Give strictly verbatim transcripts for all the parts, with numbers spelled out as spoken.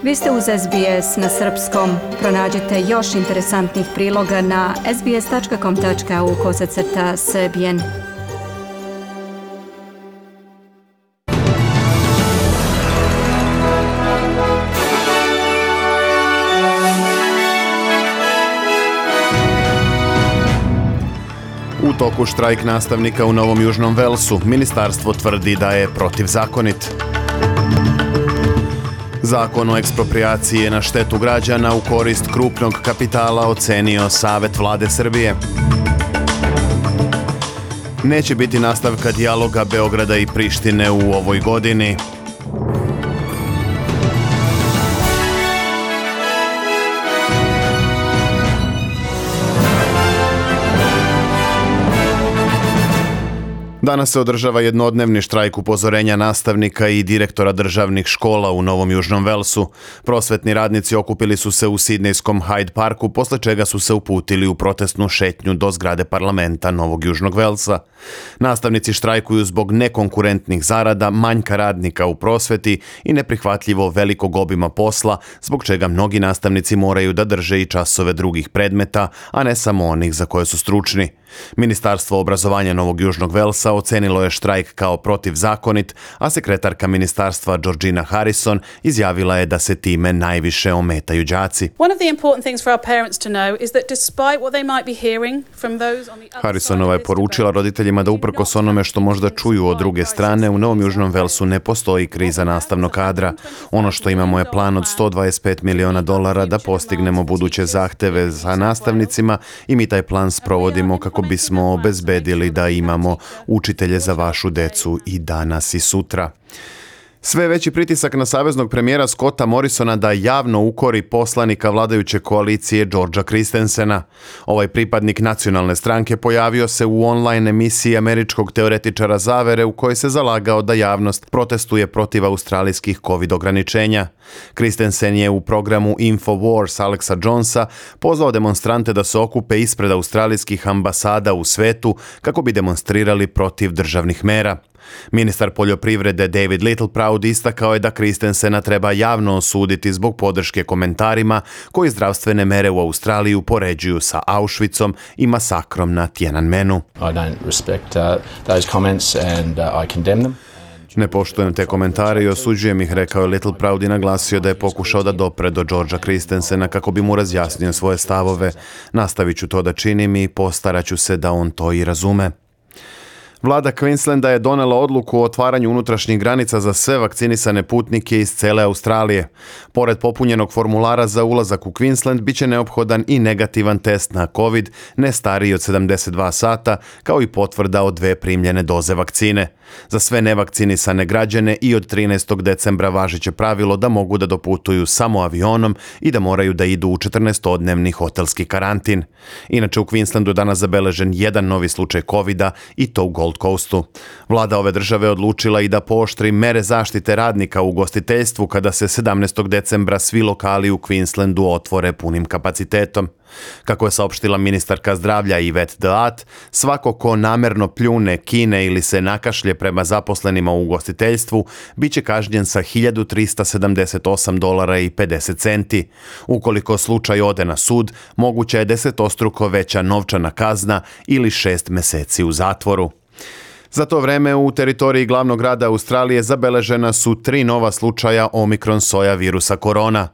Vi ste uz S B S na srpskom. Pronađite još interesantnih priloga na sbs.com.au kosacrta srbijen. U toku štrajk nastavnika u Novom Južnom Velsu. Ministarstvo tvrdi da je protivzakonit. Zakon o eksproprijaciji je na štetu građana u korist krupnog kapitala, ocenio Savet Vlade Srbije. Neće biti nastavka dijaloga Beograda i Prištine u ovoj godini. Danas se održava jednodnevni štrajk upozorenja nastavnika i direktora državnih škola u Novom Južnom Velsu. Prosvetni radnici okupili su se u sidnejskom Hyde Parku, posle čega su se uputili u protestnu šetnju do zgrade parlamenta Novog Južnog Velsa. Nastavnici štrajkuju zbog nekonkurentnih zarada, manjka radnika u prosveti i neprihvatljivo velikog obima posla, zbog čega mnogi nastavnici moraju da drže i časove drugih predmeta, a ne samo onih za koje su stručni. Ministarstvo obrazovanja Novog Južnog Velsa ocenilo je štrajk kao protivzakonit, a sekretarka ministarstva Georgina Harrison izjavila je da se time najviše ometaju đaci. Harrisonova je poručila roditeljima da uprkos onome što možda čuju od druge strane, u Novom Južnom Velsu ne postoji kriza nastavnog kadra. Ono što imamo je plan od sto dvadeset pet miliona dolara da postignemo buduće zahteve za nastavnicima i mi taj plan sprovodimo kako bismo obezbedili da imamo učitelje za vašu decu i danas i sutra. Sve veći pritisak na saveznog premijera Scotta Morrisona da javno ukori poslanika vladajuće koalicije Georgea Christensena. Ovaj pripadnik nacionalne stranke pojavio se u online emisiji američkog teoretičara zavere u kojoj se zalagao da javnost protestuje protiv australijskih COVID ograničenja. Christensen je u programu InfoWars Alexa Jonesa pozvao demonstrante da se okupe ispred australijskih ambasada u svetu kako bi demonstrirali protiv državnih mera. Ministar poljoprivrede David Littleproud istakao je da Christensena treba javno osuditi zbog podrške komentarima koji zdravstvene mere u Australiji upoređuju sa Auschwitzom i masakrom na Tiananmenu. I don't respect uh, those comments and uh, I condemn them. Ne poštujem te komentare i osuđujem ih, rekao je Littleproud i naglasio da je pokušao da dopre do Georgea Christensena kako bi mu razjasnio svoje stavove. Nastavit ću to da činim i postaraću se da on to i razume. Vlada Queenslanda je donela odluku o otvaranju unutrašnjih granica za sve vakcinisane putnike iz cele Australije. Pored popunjenog formulara za ulazak u Queensland, biće neophodan i negativan test na COVID, ne stariji od sedamdeset dva sata, kao i potvrda od dve primljene doze vakcine. Za sve nevakcinisane građane i od trinaestog decembra važeće pravilo da mogu da doputuju samo avionom i da moraju da idu u četrnaestodnevni hotelski karantin. Inače, u Queenslandu je danas zabeležen jedan novi slučaj kovida i to u Gold Coastu. Vlada ove države odlučila i da pooštri mere zaštite radnika u ugostiteljstvu kada se sedamnaestog decembra svi lokali u Queenslandu otvore punim kapacitetom. Kako je saopštila ministarka zdravlja Yvette D'Ath, svako ko namerno pljune, kine ili se nakašlje prema zaposlenima u ugostiteljstvu biće kažnjen sa hiljadu trista sedamdeset osam dolara i pedeset centi. Ukoliko slučaj ode na sud, moguća je desetostruko veća novčana kazna ili šest meseci u zatvoru. Za to vreme u teritoriji glavnog grada Australije zabeležena su tri nova slučaja Omikron soja virusa korona.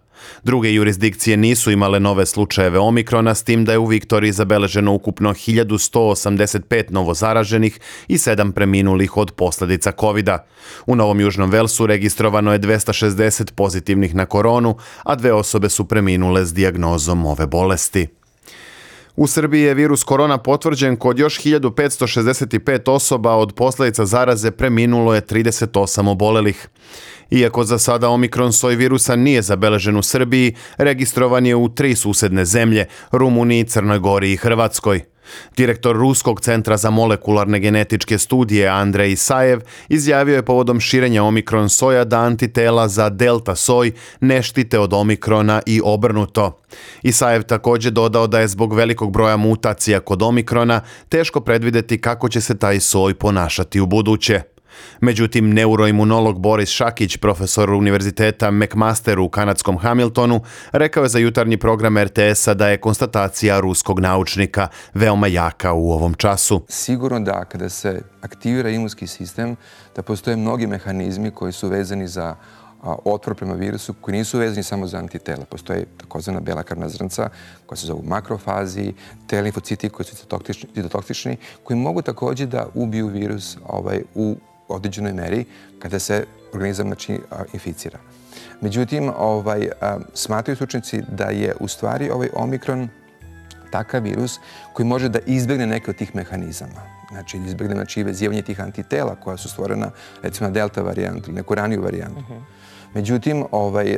Druge jurisdikcije nisu imale nove slučajeve Omikrona, s tim da je u Viktoriji zabeleženo ukupno hiljadu sto osamdeset pet novozaraženih i sedam preminulih od posljedica kovida. U Novom Južnom Velsu registrovano je dvesta šezdeset pozitivnih na koronu, a dve osobe su preminule s dijagnozom ove bolesti. U Srbiji je virus korona potvrđen kod još hiljadu petsto šezdeset pet osoba, od posljedica zaraze preminulo je trideset osam obolelih. Iako za sada Omikron soj virusa nije zabeležen u Srbiji, registrovan je u tri susedne zemlje, Rumuniji, Crnoj Gori i Hrvatskoj. Direktor Ruskog centra za molekularne genetičke studije Andrej Isajev izjavio je povodom širenja Omikron soja da antitela za delta soj ne štite od Omikrona i obrnuto. Isajev također dodao da je zbog velikog broja mutacija kod Omikrona teško predvidjeti kako će se taj soj ponašati u buduće. Međutim, neuroimunolog Boris Šakić, profesor univerziteta McMaster u kanadskom Hamiltonu, rekao je za jutarnji program er te esa da je konstatacija ruskog naučnika veoma jaka u ovom času. Sigurno da kada se aktivira imunski sistem, da postoje mnogi mehanizmi koji su vezani za otpor prema virusu, koji nisu vezani samo za antitela. Postoje takozvana bela krvna zrnca koja se zovu makrofazi, te limfociti koji su citotoksični, koji mogu također da ubiju virus ovaj, u određenoj meri kada se organizam znači, inficira. Međutim, ovaj, smatraju stručnjaci da je u stvari ovaj omikron takav virus koji može da izbjegne neke od tih mehanizama. Znači, izbjegne znači, vezivanje tih antitela koja su stvorena recimo na delta varijantu ili neku raniju varijantu. Uh-huh. Međutim, ovaj,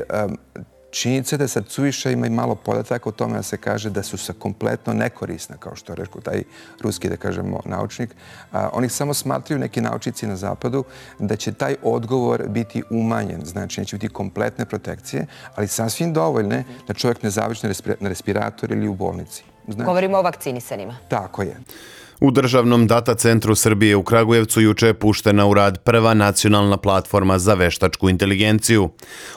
činjenica je da sad suviše ima i malo podataka o tome da se kaže da su se kompletno nekorisna, kao što je rekao taj ruski, da kažemo, naučnik. A, oni samo smatraju neki naučnici na zapadu da će taj odgovor biti umanjen, znači neće biti kompletne protekcije, ali sasvim dovoljne da čovjek ne završi na respirator ili u bolnici. Znači, govorimo o vakcinisanima. Tako je. U Državnom data centru Srbije u Kragujevcu juče je puštena u rad prva nacionalna platforma za veštačku inteligenciju.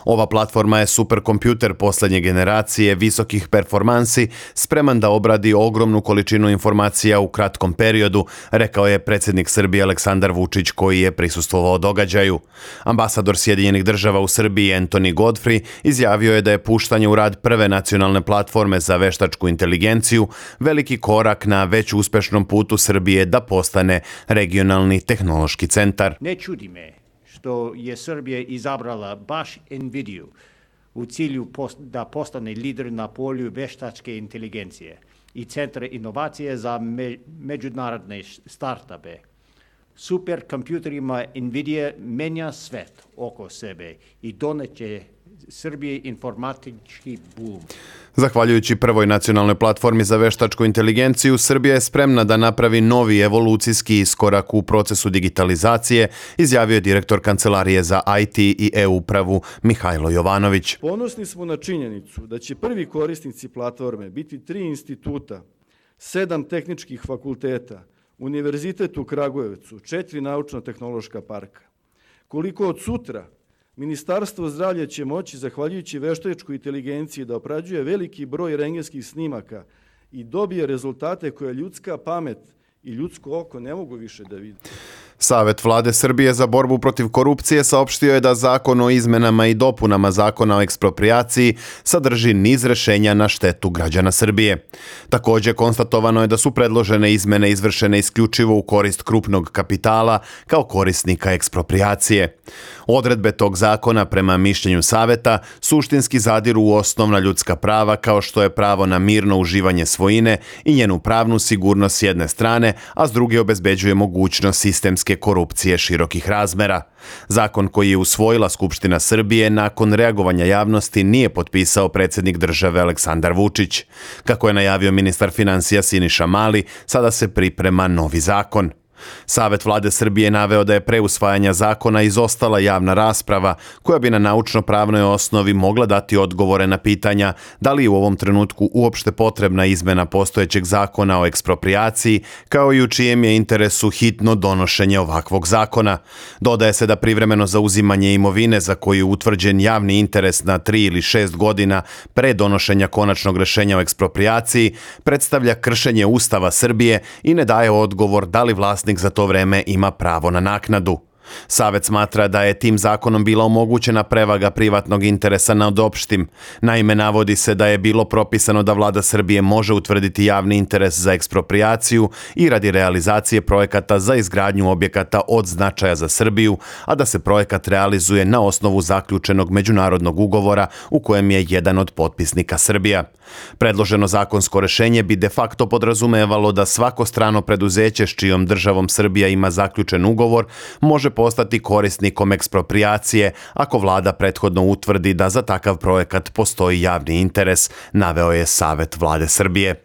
Ova platforma je superkompjuter posljednje generacije visokih performansi, spreman da obradi ogromnu količinu informacija u kratkom periodu, rekao je predsjednik Srbije Aleksandar Vučić koji je prisustvovao događaju. Ambasador Sjedinjenih država u Srbiji Anthony Godfrey izjavio je da je puštanje u rad prve nacionalne platforme za veštačku inteligenciju veliki korak na već uspešnom putu Srbije da postane regionalni tehnološki centar. Ne čudi me što je Srbija izabrala baš NVIDIA u cilju da postane lider na polju veštačke inteligencije i centra inovacije za me, međunarodne startupe. Superkompjuterima NVIDIA menja svet oko sebe i doneće Srbije informatički boom. Zahvaljujući prvoj nacionalnoj platformi za veštačku inteligenciju, Srbija je spremna da napravi novi evolucijski iskorak u procesu digitalizacije, izjavio je direktor Kancelarije za i te i e-upravu Mihajlo Jovanović. Ponosni smo na činjenicu da će prvi korisnici platforme biti tri instituta, sedam tehničkih fakulteta, Univerzitet u Kragujevcu, četiri naučno-tehnološka parka. Koliko od sutra Ministarstvo zdravlja će moći, zahvaljujući veštačkoj inteligenciji, da obrađuje veliki broj rentgenskih snimaka i dobije rezultate koje ljudska pamet i ljudsko oko ne mogu više da vidi. Savet Vlade Srbije za borbu protiv korupcije saopštio je da zakon o izmenama i dopunama zakona o eksproprijaciji sadrži niz rešenja na štetu građana Srbije. Također konstatovano je da su predložene izmene izvršene isključivo u korist krupnog kapitala kao korisnika eksproprijacije. Odredbe tog zakona, prema mišljenju Saveta, suštinski zadiru u osnovna ljudska prava kao što je pravo na mirno uživanje svojine i njenu pravnu sigurnost s jedne strane, a s druge obezbeđuje mogućnost sistemske korupcije širokih razmera. Zakon koji je usvojila Skupština Srbije nakon reagovanja javnosti nije potpisao predsjednik države Aleksandar Vučić. Kako je najavio ministar financija Siniša Mali, sada se priprema novi zakon. Savet Vlade Srbije naveo da je pre usvajanja zakona izostala javna rasprava koja bi na naučno-pravnoj osnovi mogla dati odgovore na pitanja da li je u ovom trenutku uopšte potrebna izmena postojećeg zakona o eksproprijaciji, kao i u čijem je interesu hitno donošenje ovakvog zakona. Dodaje se da privremeno zauzimanje imovine za koju je utvrđen javni interes na tri ili šest godina pre donošenja konačnog rešenja o eksproprijaciji predstavlja kršenje Ustava Srbije i ne daje odgovor da li vlasnik za to vreme ima pravo na naknadu. Savet smatra da je tim zakonom bila omogućena prevaga privatnog interesa nad opštim. Naime, navodi se da je bilo propisano da Vlada Srbije može utvrditi javni interes za eksproprijaciju i radi realizacije projekata za izgradnju objekata od značaja za Srbiju, a da se projekat realizuje na osnovu zaključenog međunarodnog ugovora u kojem je jedan od potpisnika Srbija. Predloženo zakonsko rešenje bi de facto podrazumevalo da svako strano preduzeće s čijom državom Srbija ima zaključen ugovor može postati korisnikom eksproprijacije ako vlada prethodno utvrdi da za takav projekat postoji javni interes, naveo je Savet Vlade Srbije.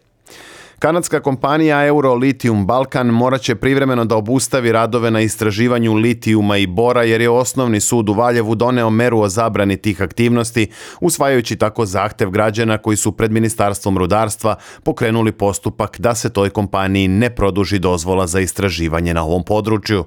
Kanadska kompanija Eurolithium Balkan morat će privremeno da obustavi radove na istraživanju litijuma i bora jer je osnovni sud u Valjevu doneo meru o zabrani tih aktivnosti, usvajajući tako zahtev građana koji su pred Ministarstvom rudarstva pokrenuli postupak da se toj kompaniji ne produži dozvola za istraživanje na ovom području.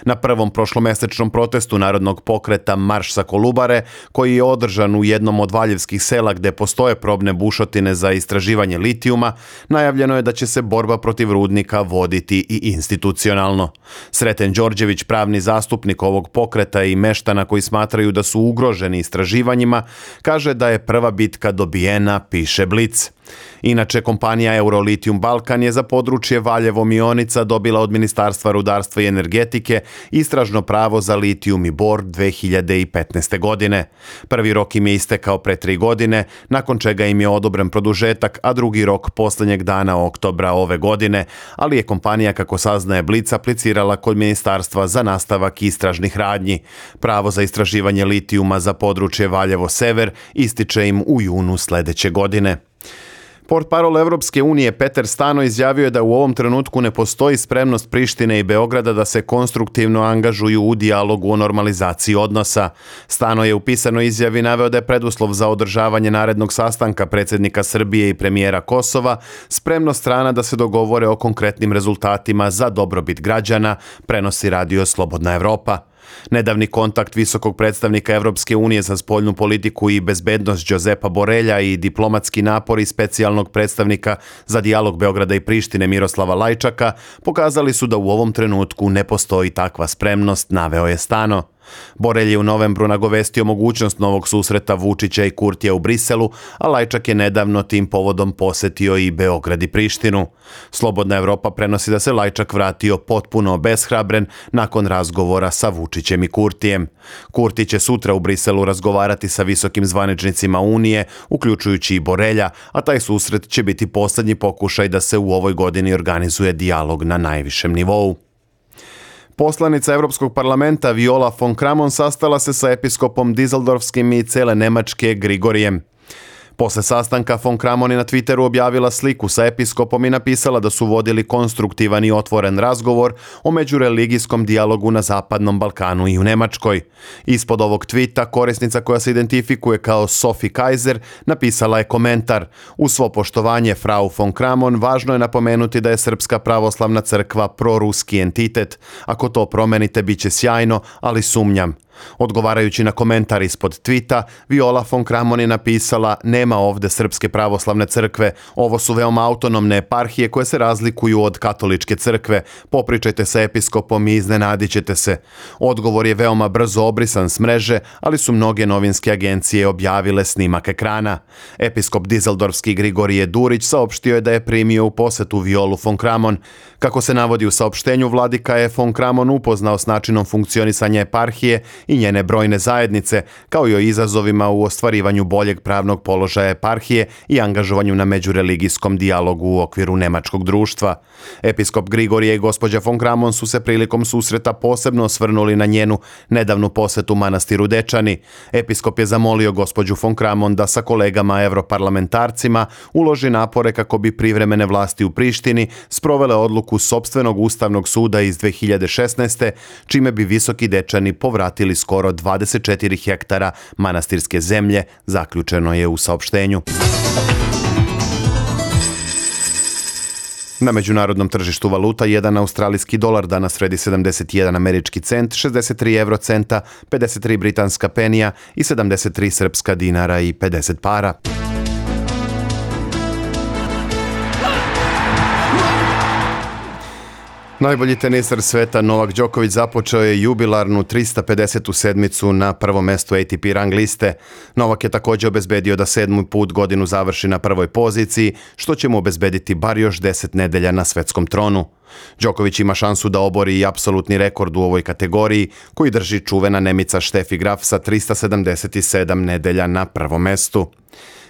Na prvom prošlomesečnom protestu narodnog pokreta Marš sa Kolubare, koji je održan u jednom od valjevskih sela gde postoje probne bušotine za istraživanje litijuma, najavljeno je da će se borba protiv rudnika voditi i institucionalno. Sreten Đorđević, pravni zastupnik ovog pokreta i meštana koji smatraju da su ugroženi istraživanjima, kaže da je prva bitka dobijena, piše Blic. Inače, kompanija Eurolitijum Balkan je za područje Valjevo-Mionica dobila od Ministarstva rudarstva i energetike istražno pravo za litijum i bor dve hiljade petnaeste. godine. Prvi rok im je istekao pre tri godine, nakon čega im je odobren produžetak, a drugi rok poslednjeg dana oktobra ove godine, ali je kompanija, kako saznaje Blic, aplicirala kod Ministarstva za nastavak istražnih radnji. Pravo za istraživanje litijuma za područje Valjevo-Sever ističe im u junu sledeće godine. Portparol Evropske unije Peter Stano izjavio je da u ovom trenutku ne postoji spremnost Prištine i Beograda da se konstruktivno angažuju u dijalogu o normalizaciji odnosa. Stano je u pisanoj izjavi naveo da je preduslov za održavanje narednog sastanka predsjednika Srbije i premijera Kosova spremnost strana da se dogovore o konkretnim rezultatima za dobrobit građana, prenosi radio Slobodna Evropa. Nedavni kontakt visokog predstavnika Evropske unije za spoljnu politiku i bezbednost Đozepa Borelja i diplomatski napori specijalnog predstavnika za dijalog Beograda i Prištine Miroslava Lajčaka pokazali su da u ovom trenutku ne postoji takva spremnost, naveo je Stano. Borelj je u novembru nagovestio mogućnost novog susreta Vučića i Kurtija u Briselu, a Lajčak je nedavno tim povodom posetio i Beograd i Prištinu. Slobodna Evropa prenosi da se Lajčak vratio potpuno obeshrabren nakon razgovora sa Vučićem i Kurtijem. Kurti će sutra u Briselu razgovarati sa visokim zvaničnicima Unije, uključujući i Borelja, a taj susret će biti posljednji pokušaj da se u ovoj godini organizuje dijalog na najvišem nivou. Poslanica Evropskog parlamenta Viola von Kramon sastala se sa episkopom Dizeldorfskim i cele Nemačke Grigorijem. Posle sastanka von Kramon je na Twitteru objavila sliku sa episkopom i napisala da su vodili konstruktivan i otvoren razgovor o međureligijskom dijalogu na Zapadnom Balkanu i u Nemačkoj. Ispod ovog tvita korisnica koja se identifikuje kao Sophie Kaiser napisala je komentar: "Uz svo poštovanje, frau von Kramon, važno je napomenuti da je Srpska pravoslavna crkva proruski entitet. Ako to promenite, bit će sjajno, ali sumnjam." Odgovarajući na komentar ispod tvita, Viola von Kramon je napisala: "Nema ovde Srpske pravoslavne crkve, ovo su veoma autonomne eparhije koje se razlikuju od katoličke crkve. Popričajte sa episkopom i iznenadit ćete se." Odgovor je veoma brzo obrisan s mreže, ali su mnoge novinske agencije objavile snimak ekrana. Episkop Dizeldorfski Grigorije Durić saopštio je da je primio u posetu Violu von Kramon. Kako se navodi u saopštenju, vladika je von Kramon upoznao s načinom funkcionisanja eparhije i njene brojne zajednice, kao i o izazovima u ostvarivanju boljeg pravnog položaja eparhije i angažovanju na međureligijskom dijalogu u okviru nemačkog društva. Episkop Grigorije i gospođa von Kramon su se prilikom susreta posebno osvrnuli na njenu nedavnu posetu manastiru Dečani. Episkop je zamolio gospođu von Kramon da sa kolegama evroparlamentarcima uloži napore kako bi privremene vlasti u Prištini sprovele odluku sopstvenog ustavnog suda iz dve hiljade šesnaeste. čime bi Visoki Dečani povratili skoro dvadeset četiri hektara manastirske zemlje, zaključeno je u saopštenju. Na međunarodnom tržištu valuta jedan australijski dolar danas vredi sedamdeset jedan američki cent, šezdeset tri evrocenta, pedeset tri britanska penija i sedamdeset tri srpska dinara i pedeset para. Najbolji teniser sveta Novak Đoković započeo je jubilarnu trista pedesetu sedmicu na prvom mestu A T P rang liste. Novak je također obezbedio da sedmi put godinu završi na prvoj poziciji, što će mu obezbediti bar još deset nedelja na svetskom tronu. Đoković ima šansu da obori i apsolutni rekord u ovoj kategoriji, koji drži čuvena Nemica Steffi Graf sa trista sedamdeset sedam nedelja na prvom mestu.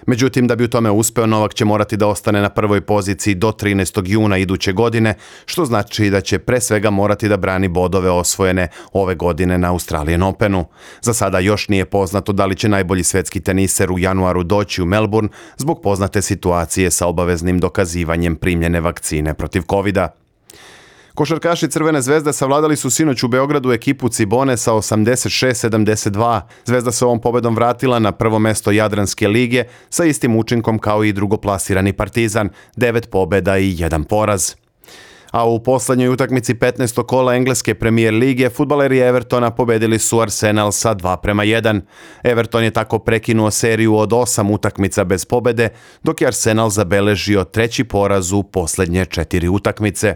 Međutim, da bi u tome uspeo, Novak će morati da ostane na prvoj poziciji do trinaestog juna iduće godine, što znači da će pre svega morati da brani bodove osvojene ove godine na Australian Openu. Za sada još nije poznato da li će najbolji svetski teniser u januaru doći u Melbourne zbog poznate situacije sa obaveznim dokazivanjem primljene vakcine protiv kovida. Košarkaši Crvene zvezde savladali su sinoć u Beogradu ekipu Cibone sa osamdeset šest sedamdeset dva. Zvezda se ovom pobedom vratila na prvo mesto Jadranske lige sa istim učinkom kao i drugoplasirani Partizan, devet pobeda i jedan poraz. A u poslednjoj utakmici petnaestog kola engleske premijer lige fudbaleri Evertona pobedili su Arsenal sa dva prema jedan. Everton je tako prekinuo seriju od osam utakmica bez pobede, dok je Arsenal zabeležio treći poraz u poslednje četiri utakmice.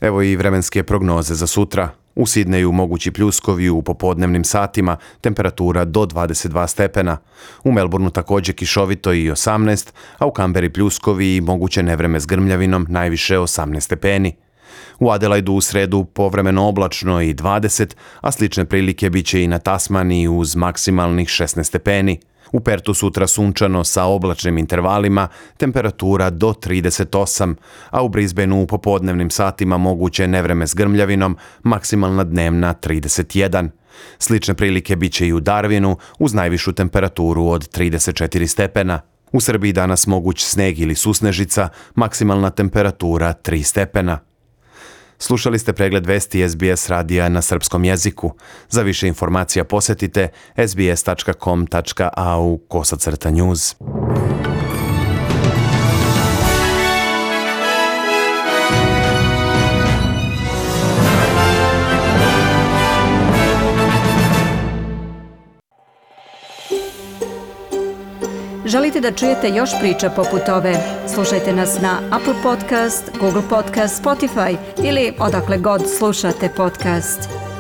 Evo i vremenske prognoze za sutra. U Sidneju mogući pljuskovi u popodnevnim satima, temperatura do dvadeset dva stepena. U Melbourneu također kišovito i osamnaest, a u Kamberi pljuskovi i moguće nevreme s grmljavinom, najviše osamnaest stepeni. U Adelaidu u sredu povremeno oblačno i dvadeset, a slične prilike bit će i na Tasmaniji uz maksimalnih šesnaest stepeni. U Pertu sutra sunčano sa oblačnim intervalima, temperatura do trideset osam, a u Brisbaneu u popodnevnim satima moguće nevreme s grmljavinom, maksimalna dnevna trideset jedan. Slične prilike bit će i u Darwinu uz najvišu temperaturu od trideset četiri stepena. U Srbiji danas moguć sneg ili susnežica, maksimalna temperatura tri stepena. Slušali ste pregled vesti S B S radija na srpskom jeziku. Za više informacija posetite sbs tačka com tačka a u kosacrta news. Želite da čujete još priča poput ove? Slušajte nas na Apple Podcast, Google Podcast, Spotify ili odakle god slušate podcast.